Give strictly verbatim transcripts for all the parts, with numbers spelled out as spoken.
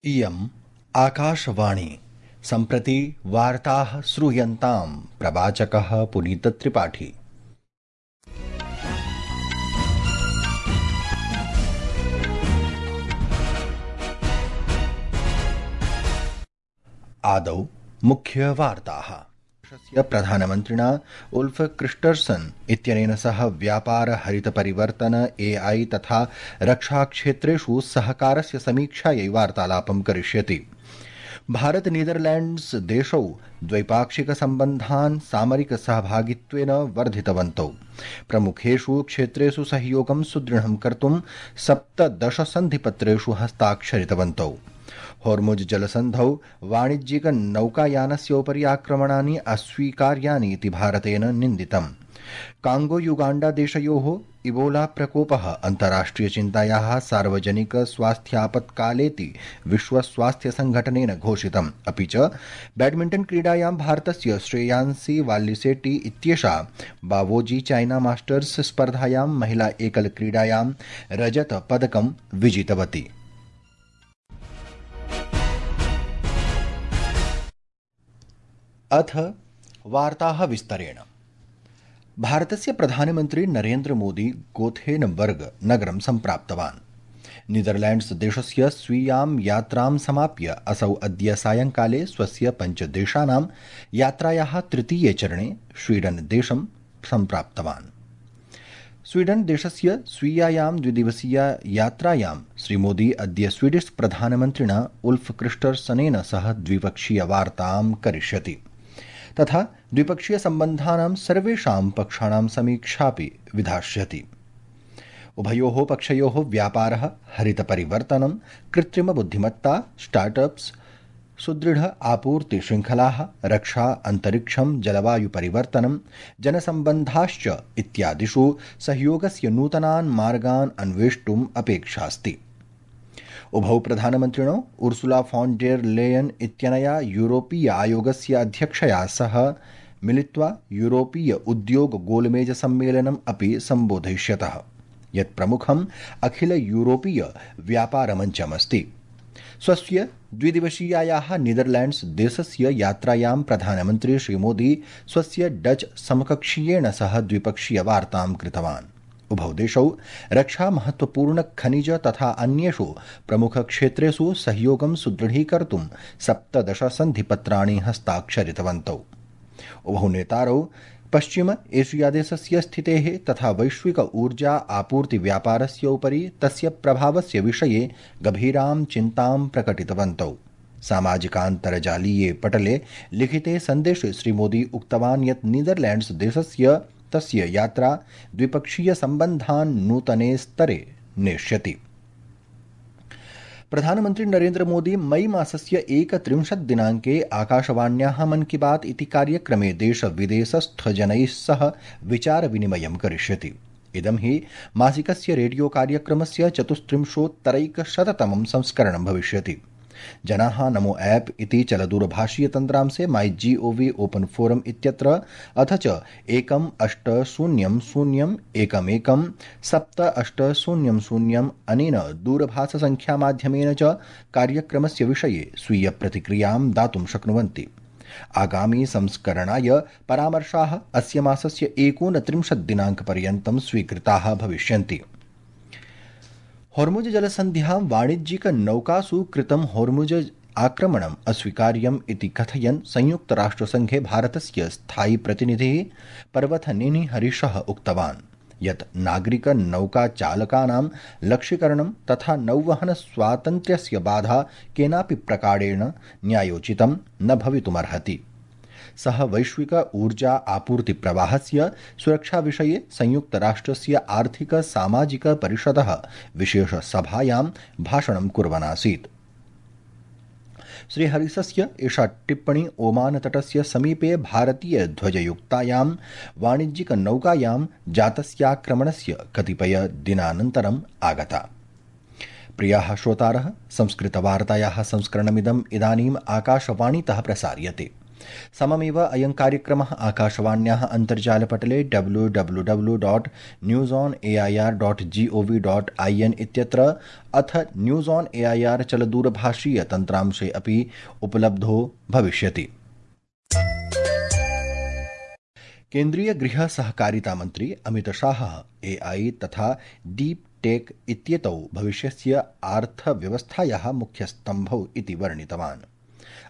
इयम् आकाशवाणी। सम्प्रति वार्ताः श्रूयन्ताम्। प्रवाचकः पुनीतत्रिपाठी। आदौ मुख्यवार्ताः। प्रधानमन्त्रिणा उल्फ क्रिस्टर्सन् इत्यनेन सह व्यापार हरित परिवर्तन एआई तथा रक्षाक्षेत्रेषु सहकारस्य समीक्षायै वार्तालापं करिष्यति। भारत नीदरलैंड्स देशौ द्वैपाक्षिक सम्बन्धान् सामरिक सहभागित्वेन वर्धितवन्तौ। प्रमुखेषु क्षेत्रेषु सहयोगं सुदृढं कर्तुं सप्तदश सन्धिपत्रेषु हस्ताक्षरितवन्तौ। होर्मुज जलसन्धौ वाणिज्यिक नौकायानस्योपरि आक्रमणानि अस्वीकार्यानि इति भारतेन निन्दितम्। कांगो युगाण्डा देशयोः इबोला प्रकोपः अन्ताराष्ट्रिय चिन्तायाः सार्वजनिक स्वास्थ्यापत्कालेति विश्व स्वास्थ्य संघटनेन घोषितम्। अपि च बैडमिण्टन क्रीडायां भारतस्य श्रेयांसी वाल्लिसेट्टी इत्येषा बावोजी चाइना मास्टर्स स्पर्धायां महिला एकल क्रीडायां रजत पदकं विजितवती। अथ वार्ताः विस्तरेण। भारतस्य प्रधानमन्त्री नरेन्द्र मोदी गोथेनबर्ग नगरं सम्प्राप्तवान्। नीदरलैंड्स देशस्य स्वीयां यात्रां समाप्य असौ अद्य सायंकाले स्वस्य पञ्चदेशानां यात्रायाः तृतीये चरणे स्वीडन देशं सम्प्राप्तवान्। स्वीडन देशस्य स्वीयायां द्विदिवसीया यात्रायां श्रीमोदी अद्य स्वीडिश प्रधानमन्त्रिणा उल्फ क्रिस्टर्सनेन सह द्विपक्षीय वार्तां करिष्यति तथा द्विपक्षीय सम्बन्धानां सर्वेषां पक्षाणां समीक्षापि विधास्यति। उभयोः पक्षयोः व्यापारः, हरित परिवर्तनं, कृत्रिम बुद्धिमत्ता, स्टार्टअप्स, सुदृढ आपूर्ति श्रृंखलाः, रक्षा, अन्तरिक्षं, जलवायु परिवर्तनं, जनसम्बन्धाश्च इत्यादिषु सहयोगस्य नूतनान् मार्गान् अन्वेष्टुम् अपेक्षास्ति। उभौ प्रधानमन्त्रिणो उर्सुला फॉन डेर लेयन इत्यनया यूरोपीय आयोगस्य अध्यक्षया सह मिलित्वा यूरोपीय उद्योग गोलमेज सम्मेलनम् अपि सम्बोधयिष्यतः, यत् प्रमुखम् अखिल यूरोपीय व्यापारमञ्चमस्ति। स्वस्य द्विदिवसीयायाः नीदरलैंड्स देशस्य यात्रायां प्रधानमन्त्री श्रीमोदी स्वस्य डच समकक्षीयेण सह द्विपक्षीय वार्तां कृतवान्। उभौ देशौ रक्षा, महत्वपूर्ण खनिज तथा अन्येषु प्रमुख क्षेत्रेषु सहयोगं सुदृढीकर्तुं सप्तदश सन्धिपत्राणि हस्ताक्षरितवन्तौ। उभौ नेतारौ पश्चिम एशिया देशस्य स्थितेः तथा वैश्विक ऊर्जा आपूर्ति व्यापारस्य उपरि तस्य प्रभावस्य विषये गभीरां चिन्तां प्रकटितवन्तौ। सामाजिकान्तर्जालीये पटले लिखिते सन्देशे श्रीमोदी उक्तवान् यत् नीदरलैंड्स देशस्य तस्य यात्रा द्विपक्षीय सम्बन्धान् नूतने स्तरे नेष्यति। प्रधानमन्त्री नरेन्द्र मोदी मई मासस्य एकत्रिंशत् दिनाङ्के आकाशवाण्याः मन की बात इति कार्यक्रमे देश विदेशस्थजनैः सह विचार विनिमयं करिष्यति। इदं हि मासिकस्य रेडियो कार्यक्रमस्य चतुस्त्रिंशोत्तरैकशततमं संस्करणं भविष्यति। जनाः नमो ऐप इति चलदूरभाषीय तन्त्रांशे माई जी ओ वी ओपन फोरम इत्यत्र अथ च एकम् अष्ट शून्यं शून्यम् एकमेकं सप्त अष्ट शून्यं शून्यम् अनेन दूरभाषसङ्ख्यामाध्यमेन च कार्यक्रमस्य विषये स्वीय प्रतिक्रियां दातुं शक्नुवन्ति। आगामी संस्करणाय परामर्शाः अस्य मासस्य एकोनत्रिंशत् दिनाङ्कपर्यन्तं स्वीकृताः भविष्यन्ति। होर्मुज जलसन्ध्यां वाणिज्यिक नौकासु कृतं होर्मुज आक्रमणम् अस्वीकार्यम् इति कथयन् संयुक्तराष्ट्रसङ्घे भारतस्य स्थायी प्रतिनिधिः पर्वतनेनी हरीशः उक्तवान् यत् नागरिक नौकाचालकानां लक्ष्यीकरणं तथा नौवहन स्वातन्त्र्यस्य बाधा केनापि प्रकारेण न्यायोचितं न भवितुमर्हति। सः वैश्विक ऊर्जा आपूर्ति प्रवाहस्य सुरक्षा विषये संयुक्तराष्ट्रस्य आर्थिक सामाजिक परिषदः विशेष सभायां भाषणं कुर्वन् आसीत्। श्रीहरिसस्य एषा टिप्पणी ओमान तटस्य समीपे भारतीय ध्वजयुक्तायां वाणिज्यिक नौकायां जातस्याक्रमणस्य कतिपय दिनानन्तरम् आगता। प्रियाः श्रोतारः, संस्कृतवार्तायाः संस्करणमिदम् इदानीम् आकाशवाणीतः प्रसार्यते। सममेव अयं कार्यक्रमः आकाशवाण्याः अन्तर्जालपटले W W W dot news on A I R dot G O V dot I N इत्यत्र अथ news on A I R चलदूरभाषीय तन्त्रांशे अपि उपलब्धो भविष्यति। केन्द्रीय गृह सहकारिता मंत्री अमित शाह ए आई तथा डीप टेक इत्येतौ भविष्यस्य अर्थव्यवस्थायाः मुख्यस्तम्भौ इति वर्णितवान्।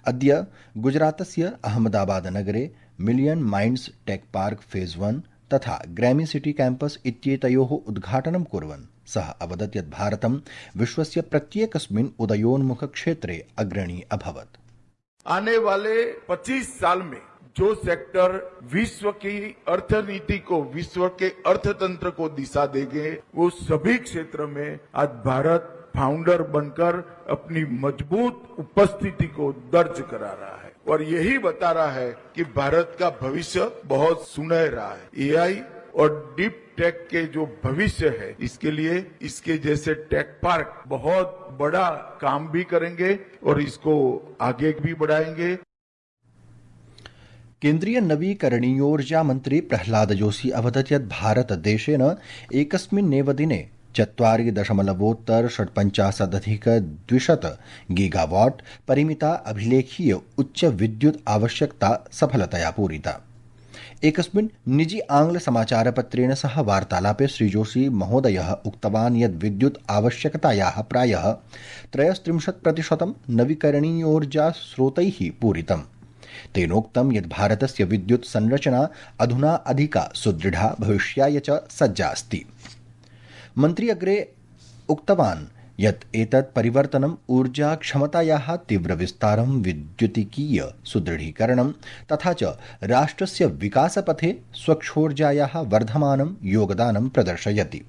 अद्य गुजरातस्य अहमदाबाद नगरे million minds tech park phase one तथा ग्रैमी सिटी कैंपस इत्येतयोः उद्घाटनं कुर्वन् सः अवदत् यत् भारतं विश्वस्य प्रत्येकस्मिन् उदयोन्मुख क्षेत्रे अग्रणी अभवत्। आने वाले पच्चीस साल में जो सेक्टर विश्व की अर्थनीति को, विश्व के अर्थतंत्र को दिशा देंगे, वो सभी क्षेत्र में आज भारत फाउंडर बनकर अपनी मजबूत उपस्थिति को दर्ज करा रहा है और यही बता रहा है कि भारत का भविष्य बहुत सुनहरा है। ए आई और डीप टेक के जो भविष्य है, इसके लिए इसके जैसे टेक पार्क बहुत बड़ा काम भी करेंगे और इसको आगे भी बढ़ाएंगे। केन्द्रीय नवीकरणीयोर्जा मन्त्री प्रह्लाद जोशी अवदत् यत् भारत देशेन एकस्मिन्नेव दिने चत्वारि दशमलवोत्तर षट्पञ्चाशदधिक द्विशत गीगावाट् परिमिता अभिलेखीय उच्च विद्युत् आवश्यकता सफलतया पूरिता। एकस्मिन् निजी आंग्ल समाचारपत्रेण सह वार्तालापे श्रीजोशी महोदयः उक्तवान् यत् विद्युत् आवश्यकतायाः प्रायः त्रयस्त्रिंशत् प्रतिशतं नवीकरणीयोर्जा स्रोतैः पूरितम्। तेनोक्तं यत् भारतस्य विद्युत् संरचना अधुना अधिका सुदृढा भविष्याय च सज्जा अस्ति। मन्त्री अग्रे उक्तवान् यत् एतत् परिवर्तनम् ऊर्जा क्षमतायाः तीव्रविस्तारं, विद्युतिकीय सुदृढीकरणं तथा च राष्ट्रस्य विकासपथे स्वच्छोर्जायाः वर्धमानं योगदानं प्रदर्शयति।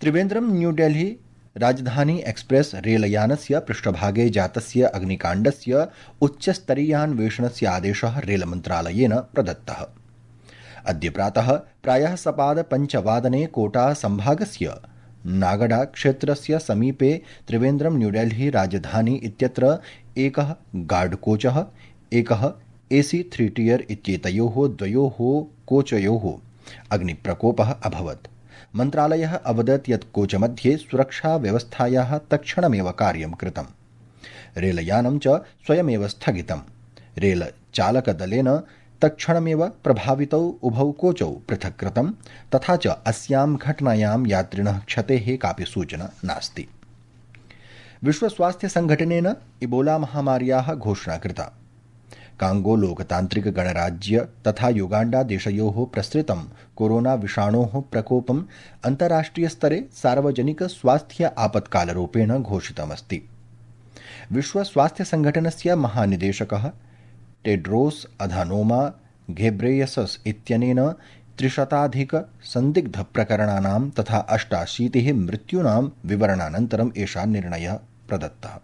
त्रिवेन्द्रं न्यूडेल्ही राजधानी एक्सप्रेस रेलयानस्य पृष्ठभागे जातस्य अग्निकाण्डस्य उच्चस्तरीयान्वेषणस्य आदेशः रेलमन्त्रालयेन प्रदत्तः। अद्य प्रातः प्रायः सपाद पञ्चवादने कोटा संभागस्य नागडा क्षेत्रस्य समीपे त्रिवेन्द्रं न्यूडेल्ही राजधानी इत्यत्र एकः गार्ड कोचः, एकः एसी थ्री टियर इत्येतयोः द्वयोः कोचयोः अग्निप्रकोपः अभवत्। मन्त्रालयः अवदत् यत् कोचमध्ये सुरक्षाव्यवस्थायाः तत्क्षणमेव कार्यं कृतम्। रेलयानं च स्वयमेव स्थगितम्। रेलचालकदलेन तत्क्षणमेव प्रभावितौ उभौ कोचौ पृथक् कृतं तथा च अस्यां घटनायां यात्रिणः क्षतेः कापि सूचना नास्ति। विश्वस्वास्थ्यसङ्घटनेन इबोला महामार्याः घोषणा कृता। कांगो लोकतान्त्रिक गणराज्य तथा युगाण्डा देशयोः प्रसृतं कोरोना विषाणोः प्रकोपम् अन्ताराष्ट्रियस्तरे सार्वजनिक स्वास्थ्य आपत्कालरूपेण घोषितमस्ति। विश्वस्वास्थ्यसङ्घटनस्य महानिदेशकः टेड्रोस अधानोमा घेब्रेयसस इत्यनेन त्रिशताधिक संदिग्ध प्रकरणानां तथा अष्टाशीतिः मृत्यूनां विवरणानन्तरम् एषः निर्णयः प्रदत्तः।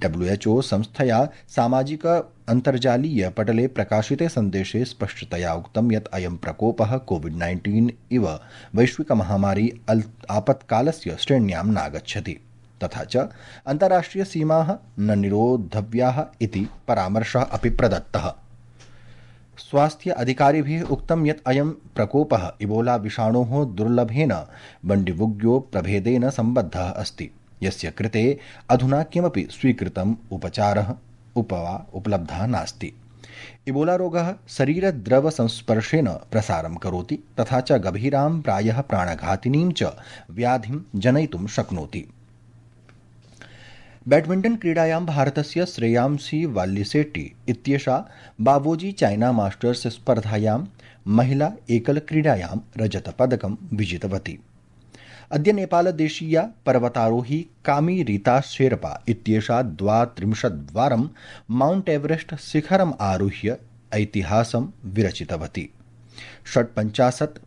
डब्ल्यू एच ओ संस्थया सामाजिक अन्तर्जालीय पटले प्रकाशिते सन्देशे स्पष्टतया उक्तं यत् अयं प्रकोपः कोविड नाइन्टीन इव वैश्विकमहामारी आपत्कालस्य श्रेण्यां नागच्छति तथा च अन्ताराष्ट्रियसीमाः न निरोद्धव्याः इति परामर्शः अपि प्रदत्तः। स्वास्थ्य अधिकारिभिः उक्तं यत् अयं प्रकोपः इबोला विषाणोः दुर्लभेन बण्डिबुग्यो प्रभेदेन सम्बद्धः अस्ति, यस्य कृते अधुना किमपि स्वीकृतम् उपचारः उपवा उपलब्धः नास्ति। इबोला रोगः शरीरद्रवसंस्पर्शेन प्रसारं करोति तथा च गभीरां प्रायः प्राणघातिनीं च व्याधिं जनयितुं शक्नोति। बैडमिण्टन क्रीडायां भारतस्य श्रेयांसी वाल्लिसेट्टी इत्येषा बावोजी चाइना मास्टर्स स्पर्धायां महिला एकलक्रीडायां रजतपदकं विजितवती। अद्य नेपालदेशीया पर्वतारोही कामी रीता शेरपा इत्येषा द्वात्रिंशद्वारं माउंट एवरेस्ट शिखरम् आरुह्य ऐतिहासं विरचितवती। षट्पञ्चाशत्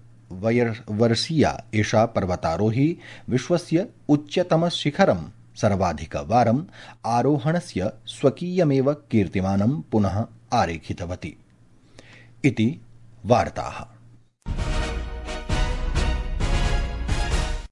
वर्षीया एषा पर्वतारोही विश्वस्य उच्चतमशिखरं सर्वाधिकवारम् आरोहणस्य स्वकीयमेव कीर्तिमानं पुनः आरेखितवती। इति वार्ताः।